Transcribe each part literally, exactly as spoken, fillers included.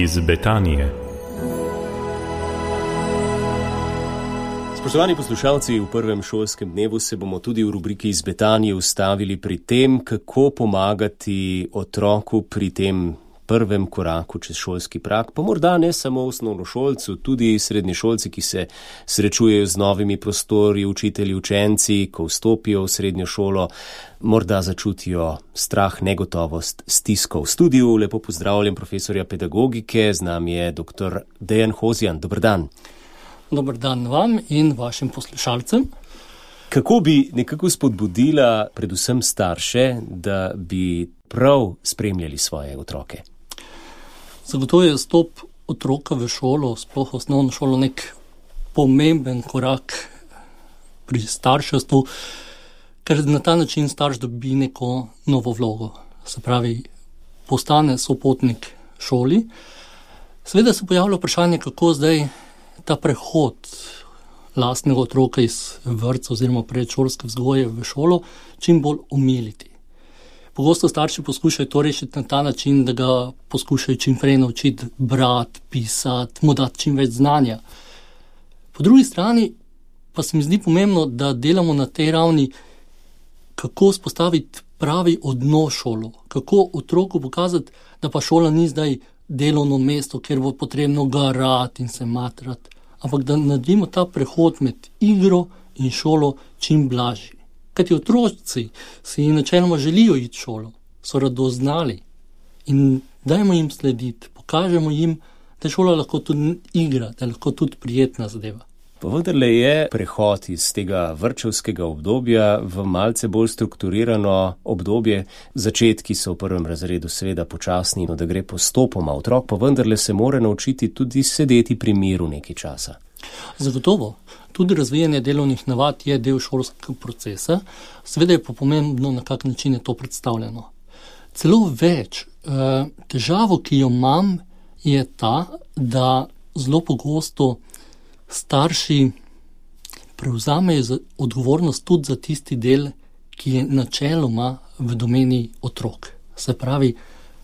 iz Betanije. Spoštovani poslušalci, v prvem šolskem dnevu se bomo tudi v rubriki iz Betanije ustavili pri tem, kako pomagati otroku pri tem prvem koraku čez šolski prag, pa morda ne samo osnovnošolcu, tudi srednješolci, ki se srečujejo z novimi prostori, učitelji, učenci, ko vstopijo v srednjo šolo, morda začutijo strah, negotovost, stisko. V studiu lepo pozdravljam profesorja pedagogike, z nami je doktor Dejan Hozjan. Dober dan. Dober dan vam in vašim poslušalcem. Kako bi nekako spodbudila predvsem starše, da bi prav spremljali svoje otroke? Zagotovo je vstop otroka v šolo, sploh osnovno šolo, nek pomemben korak pri starševstvu, ker na ta način starš dobi neko novo vlogo. Se pravi, postane sopotnik šoli. Seveda se pojavlja vprašanje, kako zdaj ta prehod lastnega otroka iz vrtca oziroma predšolske vzgoje v šolo čim bolj omiliti. Pogosto starši poskušajo to rešiti na ta način, da ga poskušajo čim prej naučiti brati, pisati, mu dati čim več znanja. Po drugi strani pa se mi zdi pomembno, da delamo na tej ravni, kako spostaviti pravi odnos šolo, kako otroku pokazati, da pa šola ni zdaj delovno mesto, kjer bo potrebno garati in se matrati, ampak da naredimo ta prehod med igro in šolo čim blažji. Kajti otroci si načeloma želijo iti v šolo, so radoznali in dajmo jim slediti, pokažemo jim, da je šola lahko tudi igra, da je lahko tudi prijetna zadeva. Pa vendarle je prehod iz tega vrtčevskega obdobja v malce bolj strukturirano obdobje. Začetki so v prvem razredu seveda počasni, no da gre postopoma. Otrok pa vendarle se mora naučiti tudi sedeti pri miru nekaj časa. Zagotovo. Tudi razvijanje delovnih navad je del šolskega procesa. Seveda je pa pomembno, na kak način je to predstavljeno. Celo več. Težavo, ki jo imam, je ta, da zelo pogosto starši prevzamejo odgovornost tudi za tisti del, ki je načeloma v domeni otrok. Se pravi,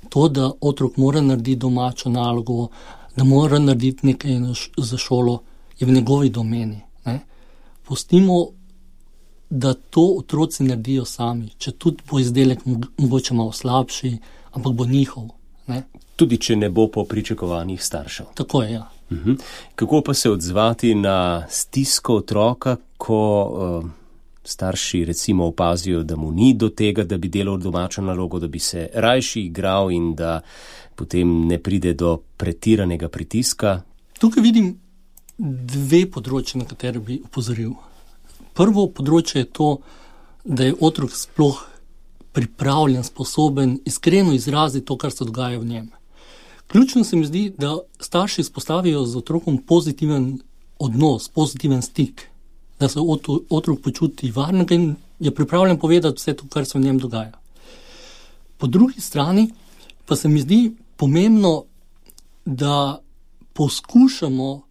to, da otrok mora narediti domačo nalogo, da mora narediti nekaj za šolo, je v njegovi domeni. Ne? Pustimo, da to otroci naredijo sami, če tudi bo izdelek mogoče malo slabši, ampak bo njihov. Ne? Tudi če ne bo po pričakovanjih staršev. Tako je, ja. Uhum. Kako pa se odzvati na stisko otroka, ko uh, starši recimo opazijo, da mu ni do tega, da bi delal domačo nalogo, da bi se rajši igral in da potem ne pride do pretiranega pritiska? Tukaj vidim dve področje, na katere bi opozoril. Prvo področje je to, da je otrok sploh pripravljen, sposoben, iskreno izraziti to, kar se dogaja v njem. Ključno se mi zdi, da starši izpostavijo z otrokom pozitiven odnos, pozitiven stik, da se otrok počuti varnega in je pripravljen povedati vse to, kar se v njem dogaja. Po drugi strani pa se mi zdi pomembno, da poskušamo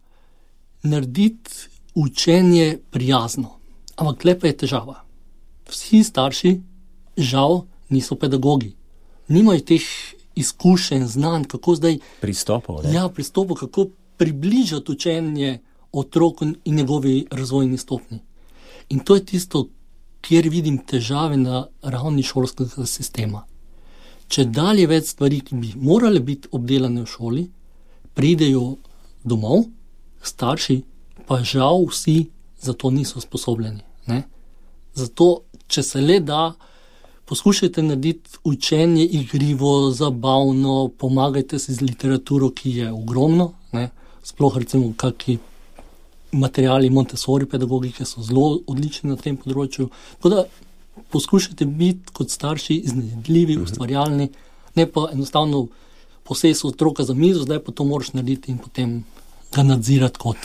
narediti učenje prijazno. Ampak tle pa je težava. Vsi starši, žal, niso pedagogi. Nimajo teh izkušenj, znanj, kako zdaj pristopov, ne? Ja, pristopov, kako približati učenje otroku in njegovi razvojni stopnji. In to je tisto, kjer vidim težave na ravni šolskega sistema. Če dalje več stvari, ki bi morale biti obdelane v šoli, pridejo domov, starši pa žal vsi za to niso sposobljeni. Ne? Zato, če se le da, poskušajte narediti učenje igrivo, zabavno, pomagajte si z literaturo, ki je ogromno, ne? Sploh recimo kakšni materiali Montessori pedagogike so zelo odlični na tem področju. Tako da poskušajte biti kot starši iznajdljivi, ustvarjalni, ne pa enostavno posesti otroka za mizo, zdaj pa to moraš narediti in potem ga nadzirati kot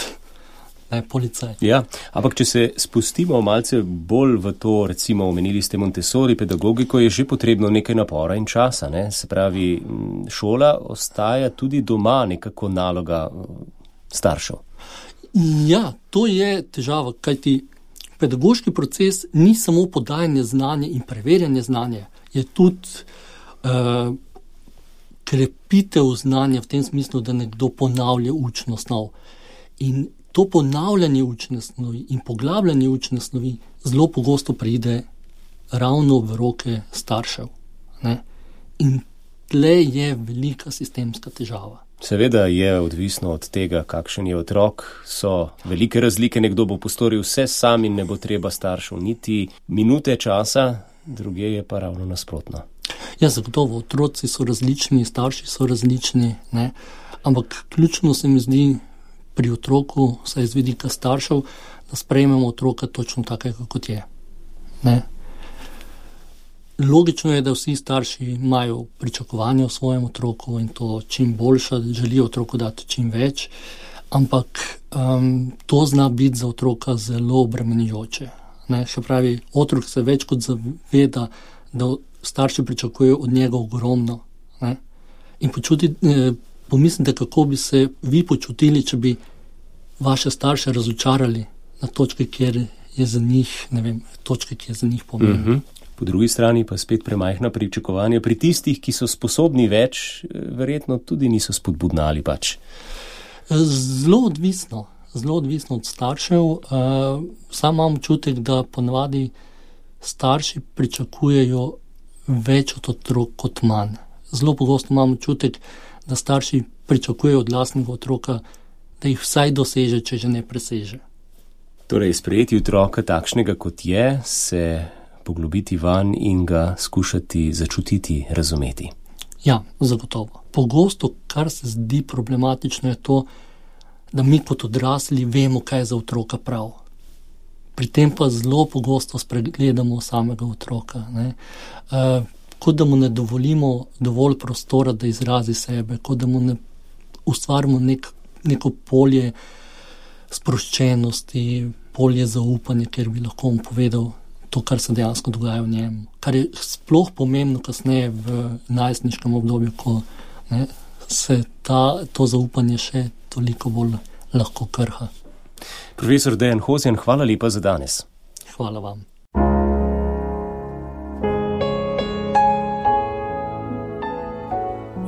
ne, policaj. Ja, ampak če se spustimo malce bolj v to, recimo omenili ste Montessori pedagogiko, je že potrebno nekaj napora in časa, ne? Se pravi, šola ostaja tudi doma nekako naloga staršev. Ja, to je težava, kajti pedagoški proces ni samo podajanje znanja in preverjanje znanja, je tudi uh, krepitev znanja v tem smislu, da nekdo ponavlja učno snov. In to ponavljanje učne snovi in poglabljanje učne snovi zelo pogosto pride ravno v roke staršev. Ne? In tle je velika sistemska težava. Seveda je odvisno od tega, kakšen je otrok, so velike razlike, nekdo bo postoril vse sam in ne bo treba staršev niti minute časa, druge je pa ravno nasprotno. Ja, zagotovo, otroci so različni, starši so različni, ne? Ampak ključno se mi zdi pri otroku, saj z vidika staršev, da sprejmemo otroka točno takega, kot je. Ne? Logično je, da vsi starši imajo pričakovanja o svojem otroku in to čim boljša, želijo otroku dati čim več, ampak um, to zna biti za otroka zelo obremenjujoče. Ne? Še pravi, otrok se več kot zaveda, da starši pričakujejo od njega ogromno. Ne? In počuti, eh, pomislite, kako bi se vi počutili, če bi vaše starše razočarali na točke, kjer je za njih, ne vem, točke, ki je za njih pomembna. Mm-hmm. Po drugi strani pa spet premajhna pričakovanja pri tistih, ki so sposobni več, verjetno tudi niso spodbudnali pač. Zelo odvisno, zelo odvisno od staršev. Uh, sam imam občutek, da ponavadi starši pričakujejo več od otrok kot manj. Zelo pogosto imam občutek, da starši pričakujejo od lastnega otroka, da jih vsaj doseže, če že ne preseže. Torej, sprejeti otroka takšnega, kot je, se poglobiti van in ga skušati začutiti, razumeti. Ja, zagotovo. Pogosto, kar se zdi problematično, je to, da mi kot odrasli vemo, kaj je za otroka prav. Pri tem pa zelo pogosto spregledamo samega otroka. Ne? Uh, kot da mu ne dovolimo dovolj prostora, da izrazi sebe, kot da mu ne ustvarimo nek, neko polje sproščenosti, polje zaupanja, kjer bi lahko mu povedal to, kar se dejansko dogaja v njemu. Kar je sploh pomembno kasneje v najstniškem obdobju, ko ne, se ta, to zaupanje še toliko bolj lahko krha. Profesor Dejan Hozjan, hvala lepa za danes. Hvala vam.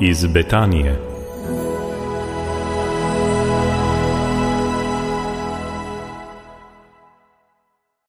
Iz Betanije.